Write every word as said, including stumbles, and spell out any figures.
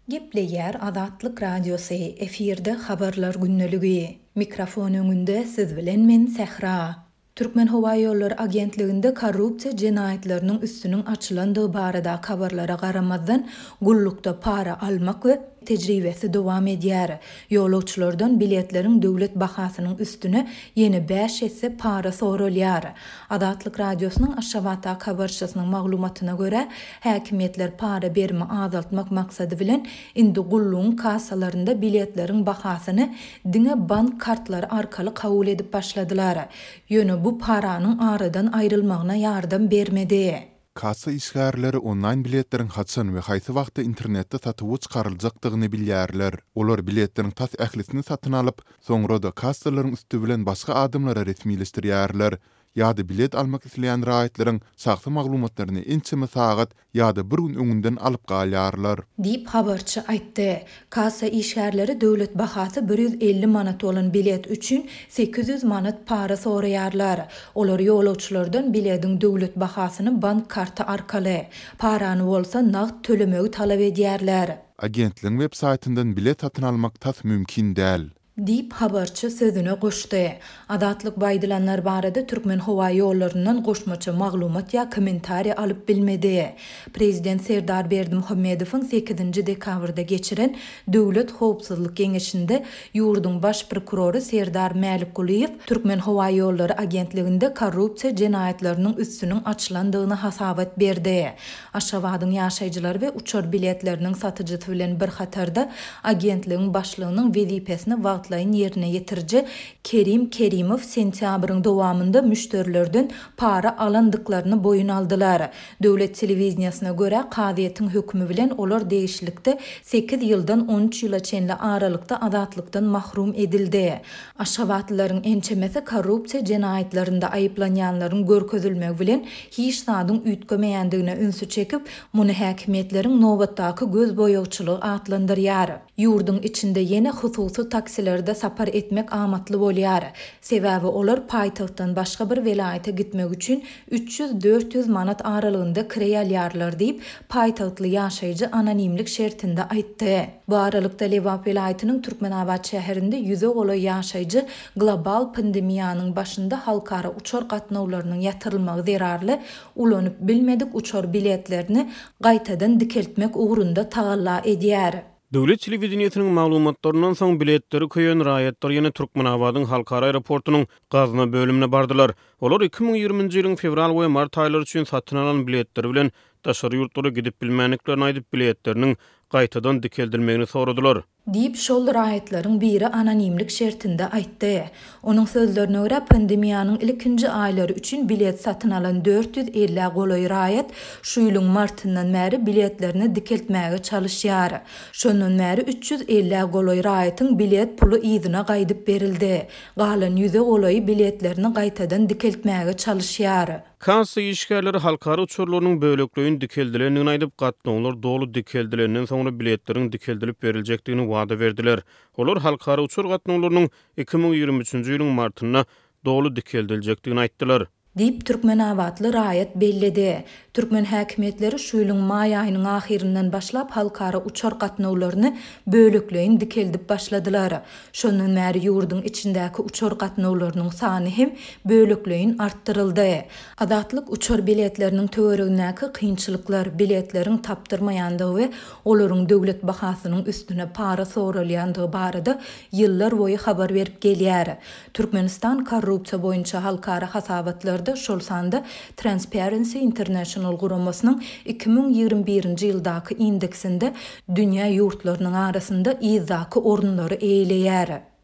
Gepleýär Azatlyk Radiosy, efirde Habarlar gündeligi. Mikrofon öňünde siz bilen men Sähra. Türkmenhowaýollary agentliginde korrupsiýa jenaýatlarynyň üstüniň açylandygy baradaky habarlara garamazdan, gullukda para almak we tejribesi dowam edýär. Ýolagçylardan biletleriň döwlet bahasynyň üstüne ýene bäş esse para soralýar. Azatlyk Radiosynyň Aşgabatdaky habarçysynyň maglumatyna görä, häkimiýetler para berimi azaltmak maksady bilen, indi gullugyň kassalarynda biletleriň bahasyny diňe bank kartlary arkaly kabul edip başladylar. Ýöne bu paranyň aradan aýrylmagyna ýardam bermedi. Kassa işgärleri onlaýn biletleriň haçan we haýsy wagtda internetde satuwa çykaryljakdygyny bilýärler. Olar biletleriň tas ählisini satyn alyp, soňra-da kassalaryň üsti bilen başga adamlara resmileşdirýärler ýa-da bilet almak isleýän raýatlaryň şahsy maglumatlaryny ençeme sagat ýa-da bir gün öňünden alyp galýarlar. Diýip, habarçy aýtdy. Kassa işgärleri döwlet bahasy bir ýüz elli manat bolan bilet üçin sekiz ýüz manat para soraýarlar. Olar ýolagçylardan bilediň döwlet bahasyny bank karty arkaly, parany bolsa nagt tölemegi talap edýärler. Agentligiň web saýtyndan bilet satyn almak tas mümkin däl. Diýip, habarçy sözüne goşdy. Azatlyk bu aýdylanlar barada Türkmenhowaýollaryndan goşmaça maglumat ýa kommentariý alyp bilmedi. Prezident Serdar Berdimuhamedowyň sekizinji dekabrda geçiren Döwlet howpsuzlyk geňeşinde ýurduň baş prokurory Serdar Mälikgulyýew Türkmenhowaýollary agentliginde korrupsiýa jenaýatlarynyň üstüniň açylandygyny hasabat berdi. Aşgabadyň ýaşaýjylary we uçar biletleriniň satyjysy bilen bir hatarda agentligiň başlygynyň wezipesini wagtlaýyn ýerine ýetiriji Kerim Kerimow sentýabryň dowamynda müşderilerden para alandyklaryny boýun aldylar. Döwlet telewideniýesine görä, kazyýetiň hökümi bilen olar degişlilikde sekiz ýyldan on üç ýyla çenli aralykda azatlykdan mahrum edildi. Aşgabatlylaryň ençemesi korrupsiýa jenaýatlarynda aýyplanýanlaryň görkezilmegi bilen hiç zadyň üýtgemeýändigine ünsi çekip, muny häkimiýetleriň nobatdaky gözboýagçylygy atlandyrýar. Ýurduň içinde ýene hususy taksilerde sapar etmek amatly bolýar. Sebäbi olar paýtagtdan başga bir welaýata gitmek üçin üç ýüz-dört ýüz manat aralygynda kireý alýarlar diýip, paýtagtly ýaşaýjy anonimlik şertinde aýtdy. Bu aralykda Lebap welaýatynyň Türkmenabat şäherinde ýüze golaý ýaşaýjy global pandemiýanyň başynda halkara uçar gatnawlarynyň ýatyrylmagy zerarly ulanyp bilmedik uçar biletlerini gaýtadan dikeltmek ugrunda tagalla edýär. Döwlet telewideniýesiniň maglumatlaryndan soň biletleri köýen raýatlar ýene Türkmenabadyň halkara aeroportunyň gazna bölümine bardylar. Olar iki müň ýigriminji ýylyň fewral we mart aýlary üçin satyn alan biletleri bilen daşary ýurtlara gidip bilmändiklerini aýdyp, biletleriniň gaýtadan dikeldilmegini soradylar. Diýip, şol raýatlaryň biri anonimlik şertinde aýtdy. Onuň sözlerine görä, pandemiýanyň ilkinji aýlary üçin bilet satyn alan dört ýüz ellä golaý raýat şu ýylyň martyndan bäri biletlerini dikeltmäge çalyşýar. Şondan bäri üç ýüz ellä golaý raýatyň bilet puly yzyna gaýdyp berildi. Galan ýüze golaýy biletlerini gaýtadan dikeltmäge çalyşýar. Kassa işgärleri halkara uçarlarynyň bölekleýin dikeldilendigini aýdyp, gatnawlar doly dikeldilenden soňra biletleriň dikeldilip beriljekdigini wada berdiler. Olar halkara uçar gatnawlarynyň iki müň ýigrimi üçünji ýylyň martynda doly dikeldiljekdigini aýtdylar. Diýip, türkmenabatly raýat belledi. Türkmen häkimiýetleri şu ýylyň maý aýynyň ahyryndan başlap halkara uçar gatnawlaryny bölekleýin dikeldip başladylar. Şondan bäri ýurduň içindäki uçar gatnawlarynyň sany hem bölekleýin artdyryldy. Azatlyk uçar biletleriniň töweregindäki kynçylyklar, biletleriň tapdyrmaýandygy we olaryň döwlet bahasynyň üstüne para soralýandygy barada ýyllar boýy habar berip gelýär. Türkmenistan korrupsiýa boýunça halkara hasabatlarda, şol sanda Transparency International guramasynyň iki müň ýigrimi birinji ýyldaky indeksinde dünýä ýurtlarynyň arasynda yzdaky orunlary eýeleýär.